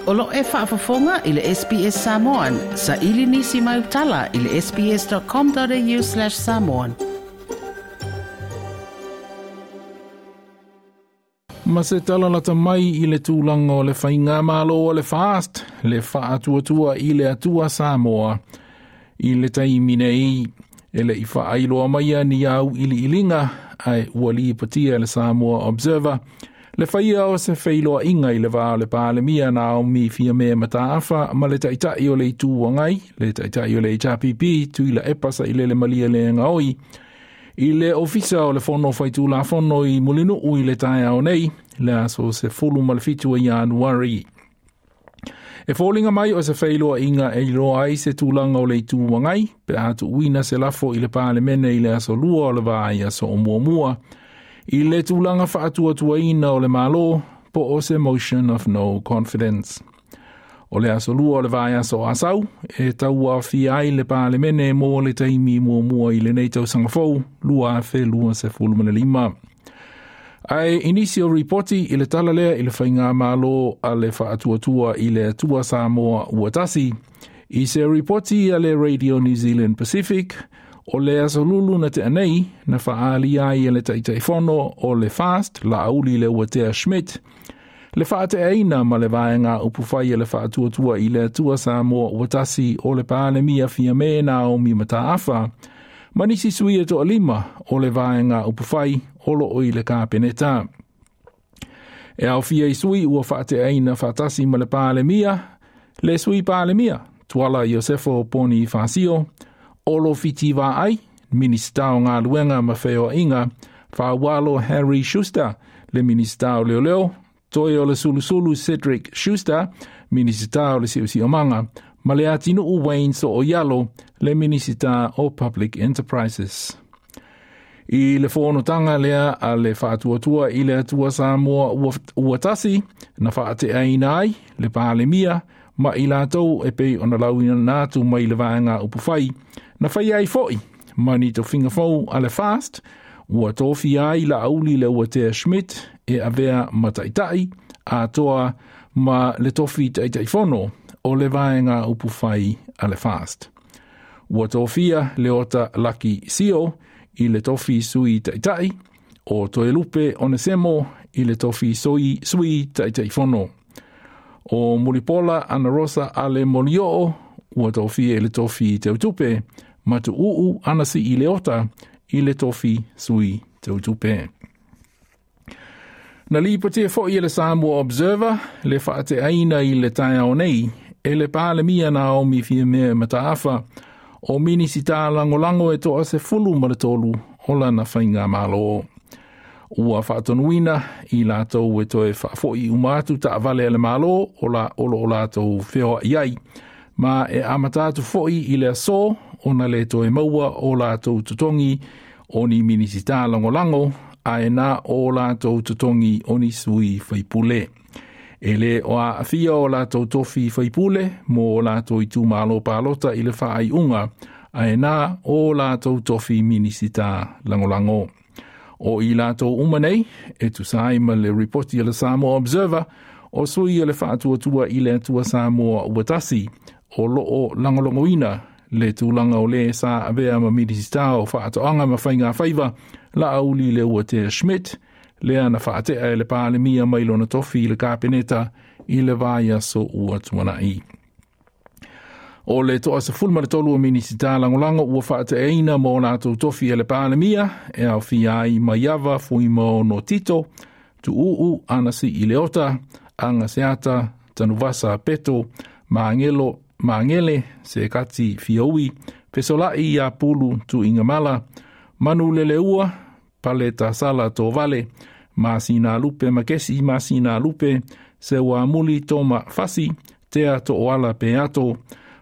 O lo e faafofoga i le SBS Samoan. Saili nisi mau tala i le sbs.com.au/samoan. Ma se tala lata mai i le tulaga o le faigamalo o le FAST, le Faatuatua i le Atua Samoa, i le taimi nei, e le i faailoa maia ni au iliiliga, ae ua lipotia e le Samoa Observer, le faia o se feiloaiga i le va o le Palemia Naomi Fiame Mataafa ma le Taitai o le Itu Agai, le Taitai o le HRPP, Tuilaepa Sailele Malielegaoi, i le Ofisa o le Fono Faitulafono i Mulinuu i le taeao nei, le aso 17 o Ianuari. E foliga mai o se feiloaiga e iloa ai se tulaga o le Itu Agai, pe a tuuina se lafo i le Palemene i le aso 2 o le vaiaso o muamua, i le tulaga faatuatuaina o le Malo, po o se motion of no confidence. O le aso 2 o le vaiaso o Asau, e tauaofia ai le Palemene mo le taimi muamua i lenei tausaga fou, 2025. Ae i nisi o ripoti i le tala lea i le faigamalo a le Faatuatua i le Atua Samoa ua tasi, i se ripoti a le Radio New Zealand Pacific, o le aso Lulu na tea nei, na faaalia ai e le Taitaifono o le FAST, Laauli Leuatea Schmidt, le faateaina ma le vaega upufai e le Faatuatua i le Atua Samoa ua tasi o le Palemia Fiame Naomi Mataafa, ma nisi sui e toalima o le vaega upufai o loo i le Kapeneta. E aofia i sui ua faateaina faatasi ma le Palemia, le sui Palemia, Tuala Iosefo Ponifasio, Olo Fiti Vaai, Minista o Galuega ma Feoaiga, Faualo Harry Schuster, le Minista o Leoleo, Toi o le Sulusulu Cedric Schuster, Minisita o le Siosiomaga, ma le Atinuu Wayne So'oialo, le Minisita o Public Enterprises. I le fonotaga lea a le Faatuatua i le Atua Samoa ua tasi, na faateaina ai le Palemia ma i latou e pei ona lauina atu mai le vaega upufai, na faia ai foi ma ni tofiga fou a le FAST, ua tofia ai Laauli Leuatea Schmidt e avea ma taitai, atoa ma le tofi Taitaifono o le vaega upufai a le FAST. Ua tofia Leota Laki Sio i le tofi sui taitai, o Toelupe Onesemo i le tofi sui Taitaifono. O Mulipola Anarosa Ale Molioo ua tofia i le tofi teutupe, ma Tuuu Anasi i Leota i le tofi sui teutupe. Na lipotia foi e le Samoa Observer le faateaina i le taeao nei e le Palemia Naomi Fiamea Mataafa o Minisita Lagolago e toa 13 o lana faigamalo. Ua faatonuina i latou e toe faafoi uma atu taavale a le Malo o la o lo o latou feoai ai, ma e amata atu foi i le aso ona le toe maua o latou totogi o ni Minisita Lagolago ae na o latou totogi o ni sui faipule. E le o aafia o latou tofi faipule mo o latou itumalo palota i le faaiuga, ae na o latou tofi Minisita Lagolago. O i latou uma nei, e tusa ai ma le ripoti a le Samoa Observer, o sui o le Faatuatua i le Atua Samoa ua tasi, o loo lagolagoina le tulaga o le sa avea ma Minisita o Faatoaga ma Faiga Faiva, Laauli Leuatea Schmidt, lea na faatea e le Palemia mai lona tofi i le Kapeneta i le vaiaso ua tuanai. O le toa 13 o Minisita Lagolago ua faateaina mo latou tofi e le Palemia, e aofia ai Maiava Fuimaono Tito, Tuuu Anasi i Leota, Aga Seata, Tanuvasa Peto, Maangelo Maangele, Sekati Fiaui, Fesolai ia Pulu Tuigamala, Manu Leleua, Pale Tasala Tovale, Masina Lupe Makesi Masina Lupe, Seuamuli Toma Fasi, Tea To'oala Peato,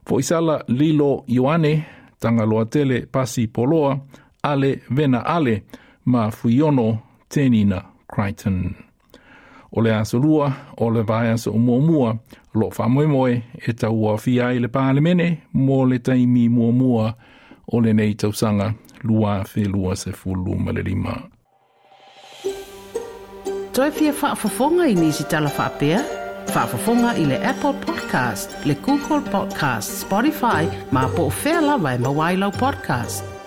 Foisala Lilo Ioane, Tagaloatele Pasi Poloa, Ale Vena Ale, ma Fuiono Tenina Crichton. O le aso 2 o le vaiaso o muamua, o loo faamoemoe e tauaofia ai le Palemene mo le taimi muamua o lenei tausaga 2025. Toe fia faafofoga i nisi tala faapea? Faafofoga i le Apple Podcast, le Google Podcast, Spotify, ma po o fea lava e maua ai lau podcast.